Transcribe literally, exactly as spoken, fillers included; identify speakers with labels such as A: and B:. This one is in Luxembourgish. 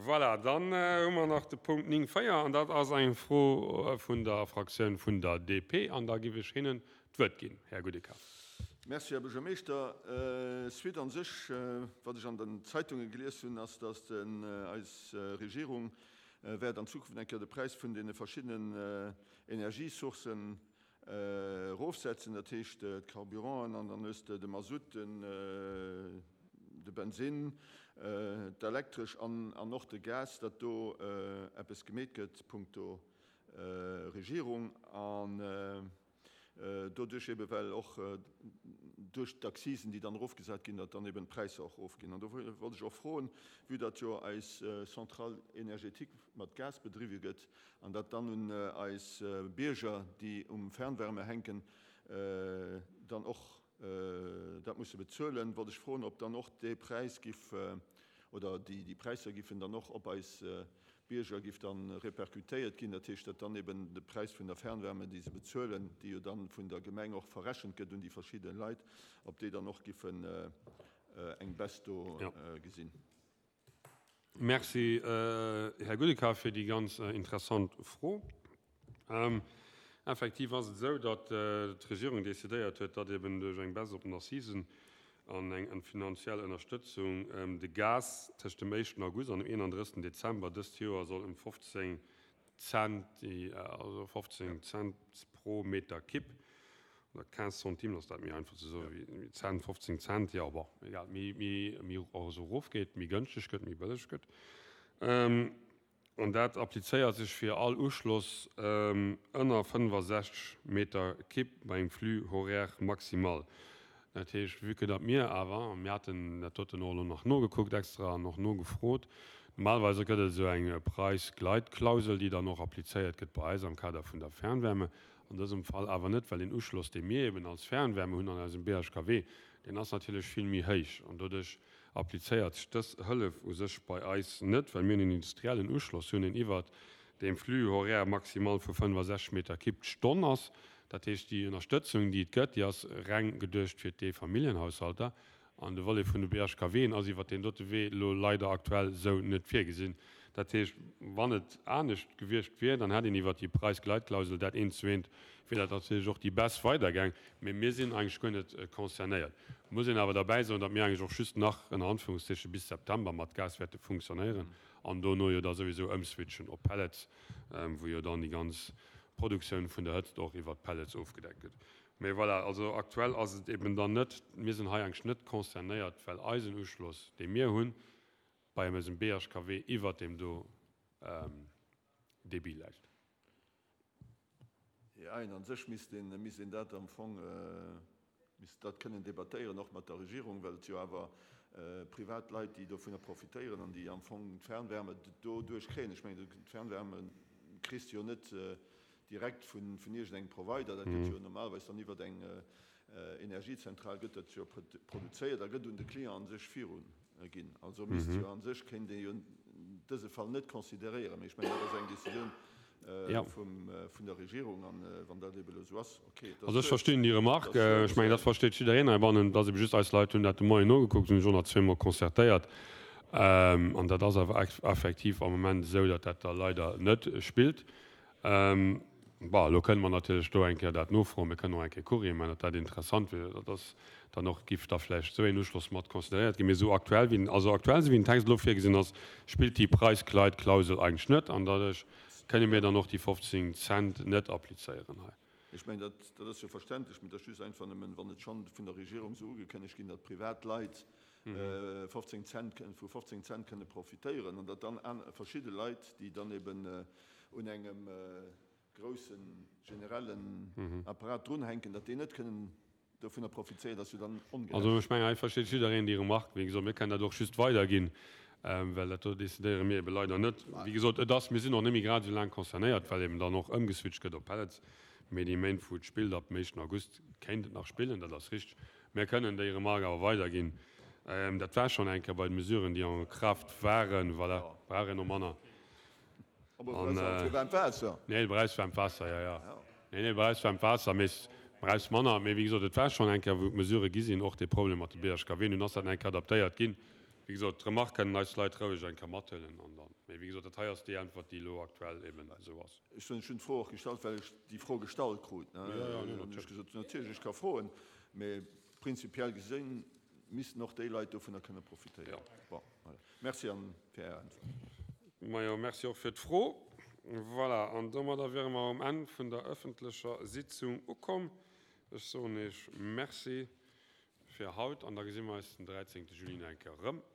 A: Voilà, dann hu mer nach de Punkt néng véier, an dat ass eng Fro vun der Fraktioun vun der D P, an da giff ech hinnen d'Wuert ginn. Här Goudeka.
B: Merci, Här Buergermeeschter. Suite an sech, wat ech an den Zeitunge gelies hunn, ass, datt eis Regierung wäert an Zukunft eng Kéier de Präis vun deene verschiddenen Energiesourcen erofsetzen, dat heescht d'Carburanten an dann hues de de Masutt, de Bensinn, d'Elektresch an an och de Gas, datt do eppes gemeet gëtt punkto Regierung an doduerch ebe well och duerch d'Accisen, déi dann erofgesat ginn, datt dann eben d'Präisser och erofginn. An do wollt ech och froen, vue datt jo eis Centrale énergétique mat Gas bedriwwe gëtt an datt dann un eis Bierger, déi um Fernwärme hänken, dann och dat musse bezuelen, wollt ech froen, ob dann och dee Präis giff oder déi Präisser giffen dann och op eis Bierger giff dann répercutéiert ginn, dat heescht, datt dann eben de Präis vun der Fernwärme, déi se bezuelen, déi jo dann vun der Gemeng och verrechent gëtt un déi verschidde Leit, ob déi dann och giffen eng Baisse do gesinn.
A: Merci, Här Goudeka, fir déi ganz interessant Fro. Effektiv ass et esou, datt d'Regierung decidéiert huet, datt eben duerch eng Baisse op den Accisen an eng finanziell Ënnerstëtzung de Gas tëscht dem éischten August an dem eenandrëssegsten Dezember dëst Joer soll ëm fofzéng Cent, also fofzéng Cent pro Meter Kibb, oder quinze centimes, ass dat méi einfach ze soen wéi Cent, fofzéng Cent, jo, bon, egal, méi, méi, méi also erofgeet, méi gënschteg gëtt, méi bëlleg gëtt. An dat applizéiert sech fir all Uschloss ënner fënnefasechzeg Meter Kibb bei engem Flux horaire maximal. Dat heescht, vue que datt mir awer, a mir haten dat doten och elo nach nogekuckt extra an och nogefrot, normalerweise gëtt et esou eng Preisgleitklausel, déi dann och applizéiert gëtt bei eis am Kader vun der Fernwärme, an dësem Fall awer net, well deen Uschloss, dee mir eben als Fernwärme hunn an eisem B H K W, deen ass natierlech vill méi héich an doduerch applizéiert sech dës Hëllef u sech bei eis net, well mir en industriellen Uschloss hunn, deen iwwert dem Flux horaire maximal vu fënnefasechzeg Meter Kibb d'Stonn ass. Dat heescht, déi Ënnerstëtzung, déi et gëtt, déi ass reng geduecht fir d'Eefamilljenhaushalter. An de Volet vun de B H K W'en ass iwwert deen dote Wee elo leider aktuell esou net virgesinn. Dat heescht, wann et anescht gewiescht wier, dann hätt een iwwert déi Preisgleitklausel dat eent zu eent, wier dat natierlech och déi Baisse weidergaang. Mee mir sinn eigentlech guer net concernéiert. Et muss een awer derbäi soen, datt mir eigentlech och just nach ënner Anführungszeichen bis September mat Gas wäerte funktionéieren an dono jo da souwisou ëmswitchen op Pellets, wou jo dann déi ganz Produktioun vun der Hëtzt och iwwert Pellets ofgedeckt gëtt. Mee voilà, also aktuell ass et eben dann net, mir sinn hei eigentlech net concernéiert, well eisen Uschloss, dee mir hunn, bei eisem B H K W iwwert deem do Débit läit.
B: Jo, an sech misst een, misst een dat am Fong, misst dat kënnen debattéieren, och mat der Regierung, well et jo awer privat Leit, déi dovunner profitéieren an déi am Fong d'Fernwärme doduerch kréien. Ech mengen, d'Fernwärme kriss de jo net direkt vun iergendengem Provider, dat gëtt jo normalerweis dann iwwert eng Energiezentral gëtt dat jo produzéiert a gëtt un de Client a sech viru ginn. Also misst jo a sech, kéint ee jo dëse Fall net consideréieren. Mee ech mengen, dat ass eng Decisioun vun der Regierung, an wann dat ebe elo esou ass, okay.
A: Also ech verstinn déi Remarque. Ech mengen, dat versteet jiddereen heibannen. Et ass ebe just, eis Leit hunn dat de Moien nogekuckt, hunn sech och nach zweemol concertéiert. An dat ass awer effektiv am Moment esou, datt dat da leider net spillt. Bon, elo kënne mer natierlech do eng Kéier dat nofroen. Mir kënnen och eng Kéier Courrier maachen, datt dat interessant wier, datt ass dann och, giff da vläicht esou een Uschloss mat consideréiert ginn. Mee esou aktuell wéi den, also aktuell esou wéi den Text elo virgesinn ass, spillt déi Preisgleitklausel eigentlech net an doduerch kënne mir dann och déi fofzéng Cent net applizéieren hei.
B: Ech mengen, dat, dat ass jo verständlech, mee dat ass just einfach nëmmen, wann et schonn vun der Regierung esou ugekënnegt ginn, datt privat Leit fofzéng Cent, vu fofzéng Cent kënne profitéieren an datt dann verschidde Leit, déi dann eben un engem grousse generellen Apparat drunhänken, datt déi net kënnen dovunner profitéieren, ass jo dann ongerecht.
A: Also ech mengen, hei versteet jiddereen déi Remarque. Wéi gesot, mir kënnen dat och just weiderginn, well dat do decidéiere mir ebe leider net. Wéi gesot, et ass, mir sinn och net méi grad esou laang concernéiert, well eben dann och ëmgeswitcht gëtt op Pellets. Mee déi Méint, wou et spillt, ab dem éischten August kéint et nach spillen, dat ass richteg. Mir kënnen déi Remarque awer weiderginn. Dat war schonn eng Kéier bei de Mesuren, déi en Kraft waren, voilà, brauch een och manner. Nee, du brauchs waarmt Waasser, jo, jo. Nee, nee, du brauchs waarmt Waasser, mee du brauchs manner. Mee wéi gesot, et war schonn eng Kéier, wou d'Mesurë gi sinn, och dee Problem mat de B H K W. Nun ass dat eng Kéier adaptéiert ginn. wéi gesot, d'Remark kënnen eis Leit roueg eng Kéier mathuelen an dann, mee wéi gesot, dat hei ass déi Äntwert, déi elo aktuell eben esou ass.
B: Ech hunn d'Fro och gestallt, well ech déi Fro gestallt krut. Jo, jo, nee, natierlech. Ech gesot, natierlech, ech ka froen, mee prinzipiell gesinn missten och déi Leit dovunner kënne profitéieren. Jo. Bon, voilà. Merci an fir Är Äntwert.
A: Majo, merci och fir d'Fro. Voilà, an domadder wiere mer um Enn vun der ëffentlecher Sitzung ukomm. Ech soen Iech Merci fir haut an da gesi mer eis den dräizéngte Juli nach eng Kéier erëm.